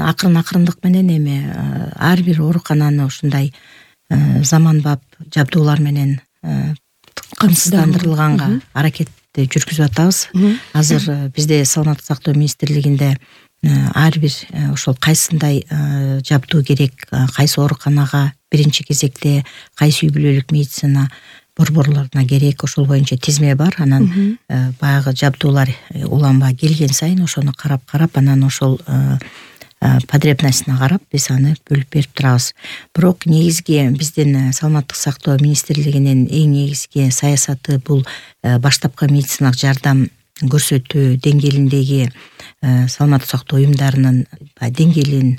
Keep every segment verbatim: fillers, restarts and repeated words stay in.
акырын акырындык менен эми ар бир оорукананы ушундай заманбап жабдуулар менен камсыздандырылганга аракетти жүргүзүп атабыз. Азыр бизде саламаттык сактоо министрлигинде ар бир ошол кайсындай жабдуу керек, кайсы ооруканага биринчи кезекте, кайсы үй бүлөлүк медицина борборлоруна керек, ошол боюнча тизме бар. Анан баягы жабдуулар уланба келген сайын ошону карап-карап, анан ошол потребностуна карап биз аны бөлүп берип турабыз. Бирок негизги биздин саламаттык сактоо министрлигинин эң негизги саясаты бул баштапкы медициналык жардам көрсөтүү деңгээлиндеги саламаттык сактоо уюмдарынын деңгээлин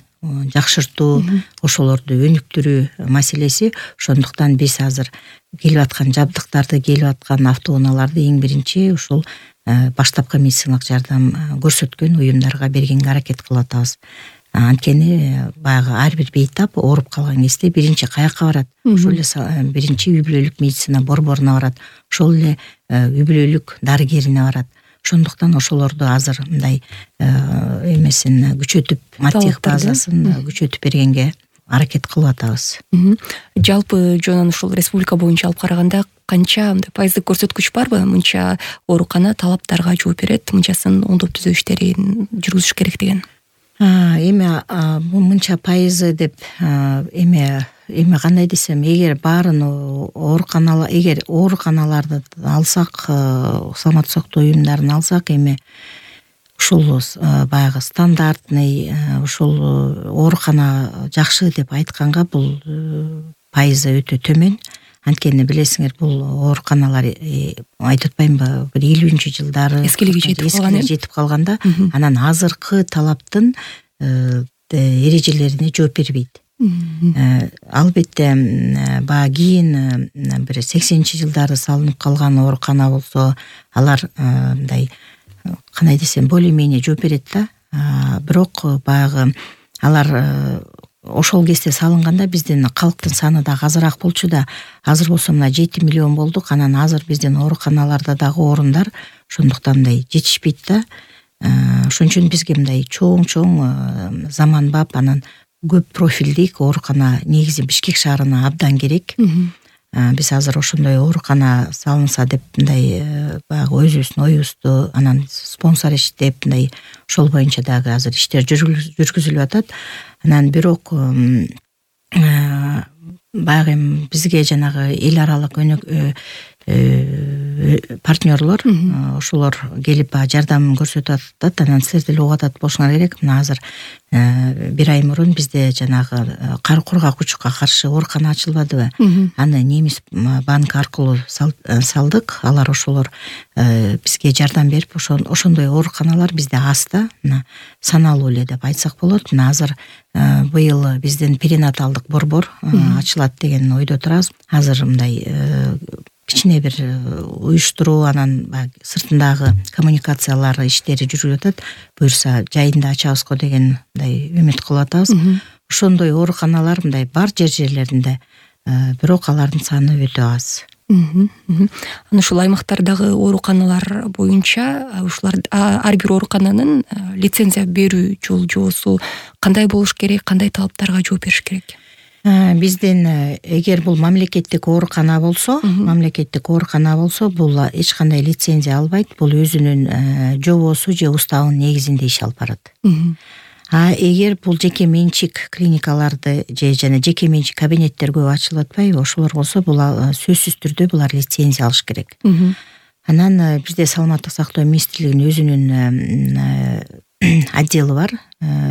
жакшыртуу, ошолорду өнүктүрүү маселеси. Ошондуктан биз азыр келип аткан жабдыктарды, келип аткан автоунааларды эң биринчи ушул баштапкы медициналык жардам көрсөткөн уюмдарга бергенге аракет кылып атабыз. Анткени баягы ар бир бейтап ооруп калган кезде биринчи каяка барат? Ошол эле биринчи үй бүлөлүк медицина борборуна барат, ошол эле үй бүлөлүк дарыгерине барат. Ошондуктан ошолорду азыр мындай эмесин күчөтүп, маттех базасын күчөтүп бергенге аракет кылып атабыз. Жалпы жонун ушул республика боюнча алып караганда канча мындай пайыздык көрсөткүч барбы? Мынча оорукана талаптарга жооп берет, мынчасын оңдоп түзөө иштерин жүргүзүш керек деген. Эми мынча пайызы деп эми эми кандай десем, эгер баарын ооруканалар, эгер ооруканаларды алсак, саламаттык сактоо уюмдарын алсак, эми ушул баягы стандартный ушул оорукана жакшы деп айтканга бул пайызы өтө төмөн. Анткени билесиңер, бул ооруканалар айтып атпаймынбы, бир элүүнчү жылдары эскилиги жетип калган, жетип калганда, анан азыркы талаптын эрежелерине жооп бербейт. Албетте баягы кийин бир сексенинчи жылдары салынып калган оорукана болсо, алар мындай кандай десем, более-менее жооп берет да. Бирок баягы алар ошол кезде салынганда биздин калктын саны дагы азыраак болчу да. Азыр болсо мына жети миллион болдук. Анан азыр биздин ооруканаларда дагы орундар ошондуктан мындай жетишпейт да. Ошон үчүн бизге мындай чоң-чоң заманбап, анан көп профилдик оорукана негизи Бишкек шаарына абдан керек. Биз азыр ошондой оорукана салынса деп мындай баягы өзүбүздүн оюбузду, анан спонсор иштеп мындай ошол боюнча дагы азыр иштер жүргүзүлүп атат. Анан бирок баягы бизге жанагы эл аралык партнерлор ошолор келип жардам көрсөтүп атат. Анан силер деле угуп атат болушуңар керек. Мына азыр бир ай мурун бизде жанагы кар кургак учукка каршы оорукана ачылбадыбы? Аны Немис банк аркылуу салдык. Алар ошолор бизге жардам берип, ошондой ооруканалар бизде аз да, мына саналуу эле деп айтсак болот. Мына азыр быйыл биздин перинаталдык борбор ачылат деген ойдо турабыз. Азыр мындай кичине бир уюштуруу, анан сыртындагы коммуникациялар иштери жүрүп атат. Буюрса жайында ачабыз го деген мындай үмүт кылып атабыз. Ошондой ооруканалар мындай бар жер жерлеринде, бирок алардын саны өтө аз. Анан ушул аймактардагы ооруканалар боюнча ушулар ар бир оорукананын лицензия берүү жол жоосу кандай болуш керек, кандай талаптарга жооп бериш керек? Биздин эгер бул мамлекеттик оорукана болсо, мамлекеттик оорукана болсо, бул эч кандай лицензия албайт. Бул өзүнүн жобосу же уставынын негизинде иш алып барат. А эгер бул жеке менчик клиникаларды же жана жеке менчик кабинеттер көп ачылып атпайбы, ошолор болсо, бул сөзсүз түрдө булар лицензия алыш керек. Анан бизде саламаттык сактоо министрлигинин өзүнүн отделы бар,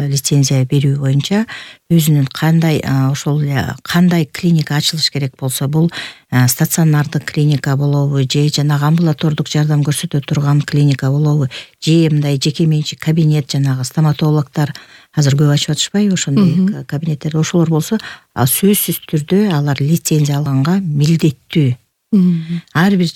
лицензия берүү боюнча. Өзүнүн кандай ошол кандай клиника ачылыш керек болсо, бул стационардык клиника болобу, же жанагы амбулатордук жардам көрсөтө турган клиника болобу, же мындай жеке менчик кабинет, жанагы стоматологдор азыр көп ачып атышпайбы ошондой кабинеттер. Ошолор болсо, сөзсүз түрдө алар лицензия алганга милдеттүү. Ар бир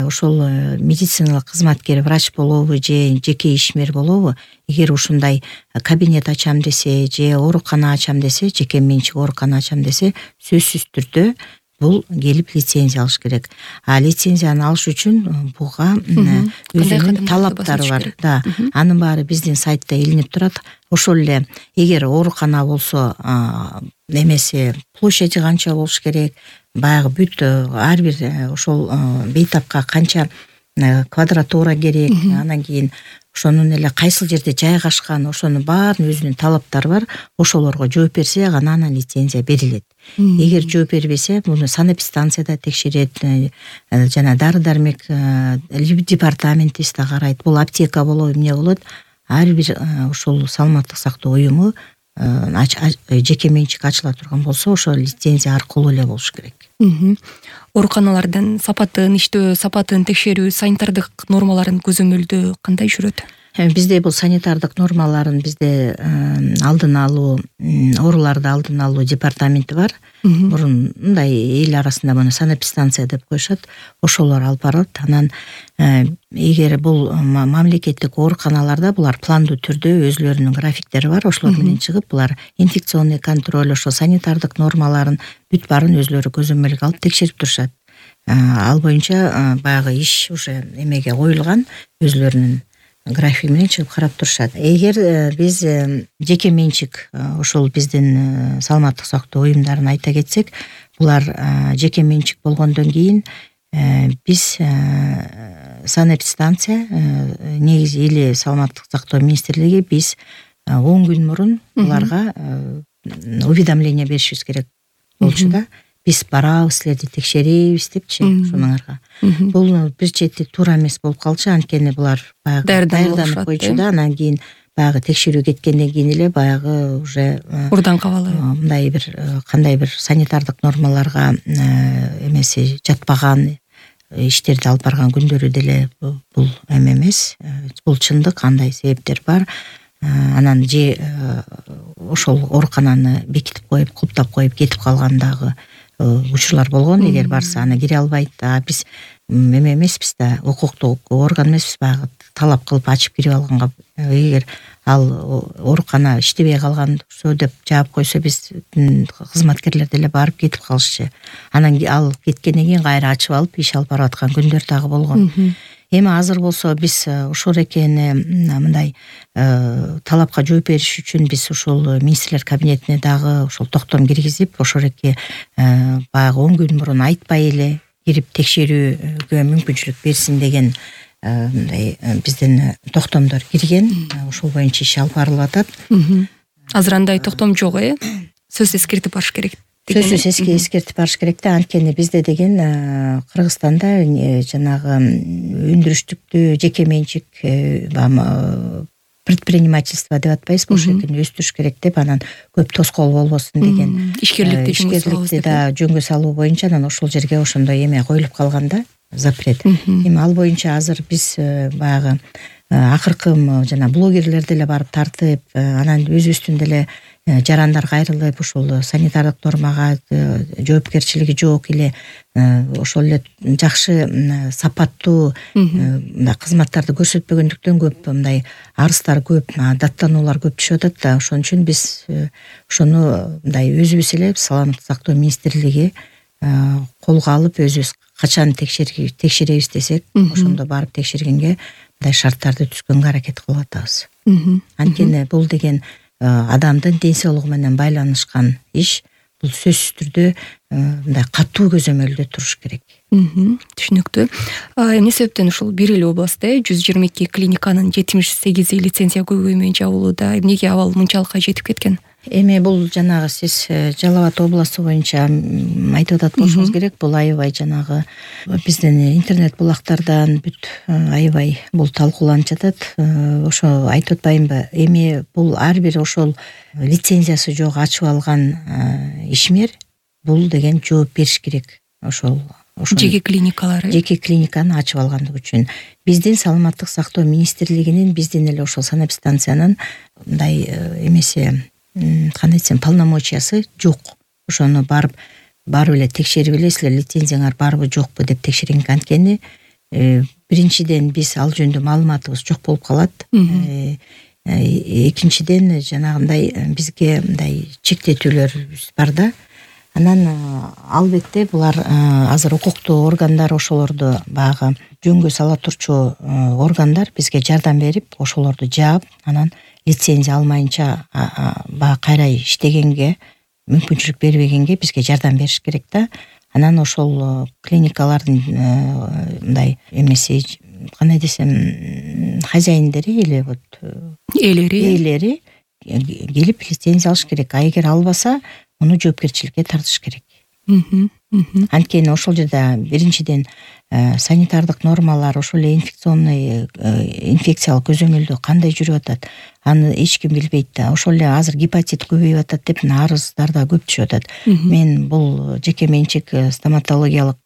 ошол медициналык кызматкер, врач болобу же жеке ишмер болобу, эгер ушундай кабинет ачам десе же оорукана ачам десе, жеке менчик оорукана ачам десе, сөзсүз түрдө бул келип лицензия алыш керек. А лицензияны алыш үчүн буга өзүнүн талаптары бар. Да, анын баары биздин сайтта илинип турат. Ошол эле эгер оорукана болсо, эмеси площади канча болуш керек, баягы бүт ар бир ошол бейтапка канча квадратура керек, анан кийин ошонун эле кайсыл жерде жайгашкан, ошонун баарын өзүнүн талаптары бар. Ошолорго жооп берсе гана анан лицензия берилет. Эгер жооп бербесе, муну санэпидстанцияда текшерет, жана дары дармек департаменти да карайт. Бул аптека болобу, эмне болот? Ар бир ошол саламаттык сактоо уюму жеке менчик ачыла турган болсо, ошол лицензия аркылуу эле болуш керек. Ооруканалардын сапатын, иштөө сапатын текшерүү, санитардык нормаларын көзөмөлдөө кандай жүрөт? Бизде бул санитардык нормаларын бизде алдын алуу, ооруларды алдын алуу департаменти бар. Мурун мындай эл арасында муну санэпидстанция деп коюшат. Ошолор алып барат. Анан эгер бул мамлекеттик ооруканаларда булар пландуу түрдө өзлөрүнүн графиктери бар. Ошолор менен чыгып, булар инфекционный контроль, ошо санитардык нормаларын бүт баарын өзлөрү көзөмөлгө алып текшерип турушат. Ал боюнча баягы иш уже эмеге коюлган, өзлөрүнүн график менен чыгып карап турушат. Эгер биз жеке менчик ошол биздин саламаттык сактоо уюмдарын айта кетсек, булар жеке менчик болгондон кийин биз санэпидстанция негизи или саламаттык сактоо министрлиги биз он күн мурун буларга уведомление беришибиз керек болчу да. Биз барабыз, силерди текшеребиз депчи, ошоңарга. Бул бир чети туура эмес болуп калчу, анткени булар баягы даярданып койчу да, анан кийин баягы текшерүү кеткенден кийин эле баягы уже урдан кабалы мындай бир кандай бир санитардык нормаларга эмеси жатпаган иштерди алып барган күндөрү деле бул эме эмес. Бул чындык, андай себептер бар. Анан же ошол оорукананы бекитип коюп, куптап коюп кетип калган дагы учурлар болгон. Эгер барса аны кире албайт. А биз эме эмеспиз да, укуктук орган эмеспиз, баягы талап кылып ачып кирип алганга. Эгер ал оорукана иштебей калган болсо деп жаап койсо, биз кызматкерлер деле барып кетип калышчу. Анан ал кеткенден кийин кайра ачып алып иш алып барып аткан күндөр дагы болгон. Эми азыр болсо биз ошол экени мындай талапка жооп бериш үчүн биз ошол министрлер кабинетине дагы ошол токтом киргизип, ошол эки баягы он күн мурун айтпай эле кирип текшерүүгө мүмкүнчүлүк берсин деген мындай биздин токтомдор кирген. Ошол боюнча иш алып барылып атат. Азыр андай токтом жок, э? Сөз эскертип барыш керек. Сөзсүз эски эскертип барыш керек да, анткени бизде деген Кыргызстанда жанагы өндүрүштүктү жеке менчик предпринимательство деп атпайбызбы, ошол экени өстүрүш керек деп, анан көп тоскоол болбосун деген ишкерликти да жөнгө салуу боюнча анан ошол жерге ошондой эме коюлуп калган да, запрет. Эми ал боюнча азыр биз баягы акыркы жана блогерлер деле барып тартып, анан өзүбүздүн деле жарандар кайрылып, ошол санитардык нормага жоопкерчилиги жок эле ошол эле жакшы сапаттуу кызматтарды көрсөтпөгөндүктөн көп мындай арыздар көп, даттануулар көп түшүп атат да. Ошон үчүн биз ошону мындай өзүбүз эле саламаттык сактоо министрлиги колго алып, өзүбүз качан текшеребиз десек, ошондо барып текшергенге мындай шарттарды түзгөнгө аракет кылып атабыз. Анткени бул деген адамдын ден соолугу менен байланышкан иш. Бул сөзсүз түрдө мындай катуу көзөмөлдө туруш керек. Түшүнүктүү. Эмне себептен ушул бир эле областта жүз жыйырма эки клиниканын жетимиш сегизи лицензия көйгөй менен жабылууда. Эмнеге абал мынчалыкка жетип кеткен? Эми бул жанагы сиз Жалал Абад областы боюнча айтып атат болушуңуз керек. Бул аябай жанагы биздин интернет булактардан бүт аябай бул талкууланып жатат. Ошо айтып атпаймынбы? Эми бул ар бир ошол лицензиясы жок ачып алган ишмер бул деген жооп бериш керек. Ошол жеке клиникалары жеке клиниканы ачып алгандыгы үчүн биздин саламаттык сактоо министрлигинин, биздин эле ошол санэпидстанциянын мындай эмеси, кандай десем, полномочиясы жок. Ошону барып барып эле текшерип эле силер лицензияңар барбы жокпу деп текшерген. Анткени биринчиден биз ал жөнүндө маалыматыбыз жок болуп калат. Экинчиден жанагындай бизге мындай чектетүүлөр бар да. Анан албетте булар азыр укуктуу органдар ошолорду баягы жөнгө сала турчу органдар бизге жардам берип, ошолорду жаап, анан лицензия алмайынча баягы кайра иштегенге мүмкүнчүлүк бербегенге бизге жардам бериш керек да. Анан ошол клиникалардын мындай эмеси, кандай десем, хозяиндери или вот ээлери ээлери келип лицензия алыш керек. А эгер албаса, муну жоопкерчиликке тартыш керек. Анткени ошол жерде биринчиден санитардык нормалар, ошол эле инфекционный инфекциялык көзөмөлдө кандай жүрүп атат, аны эч ким билбейт да. Ошол эле азыр гепатит көбөйүп атат деп арыздар да көп түшүп атат. Мен бул жеке менчик стоматологиялык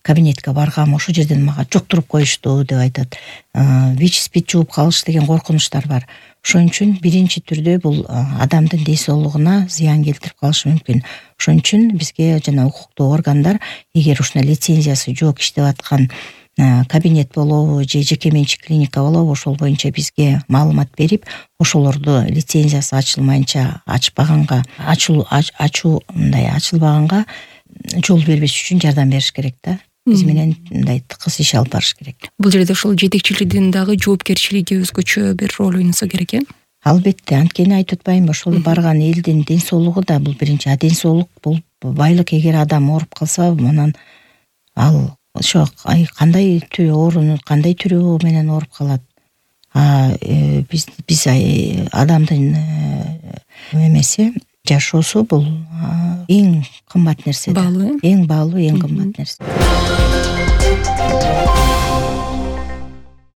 кабинетке баргам, ошол жерден мага жоктуруп коюшту деп айтат. ВИЧ СПИД жугуп калыш деген коркунучтар бар. Ошон үчүн биринчи түрдө бул адамдын ден соолугуна зыян келтирип калышы мүмкүн. Ошон үчүн бизге жана укуктуу органдар эгер ушундай лицензиясы жок иштеп аткан кабинет болобу же жеке менчик клиника болобу, ошол боюнча бизге маалымат берип, ошолорду лицензиясы ачылмайынча ачпаганга, ачуу ачуу мындай ачылбаганга жол бербеш үчүн жардам бериш керек да. Биз менен мындай тыкыз иш алып барыш керек. Бул жерде ошол жетекчилигин дагы жоопкерчилиги өзгөчө бир роль ойносо керек э? Албетте, анткени айтып атпаймынбы, ошол барган элдин ден соолугу да бул биринчи. А ден соолук бул байлык. Эгер адам ооруп калса, анан ал ошо кандай түрү ооруну, кандай түрү менен ооруп калат. А биз биз адамдын эмеси, жашоосу бул эң кымбат нерсе. Баалуу, эң баалуу, эң кымбат нерсе.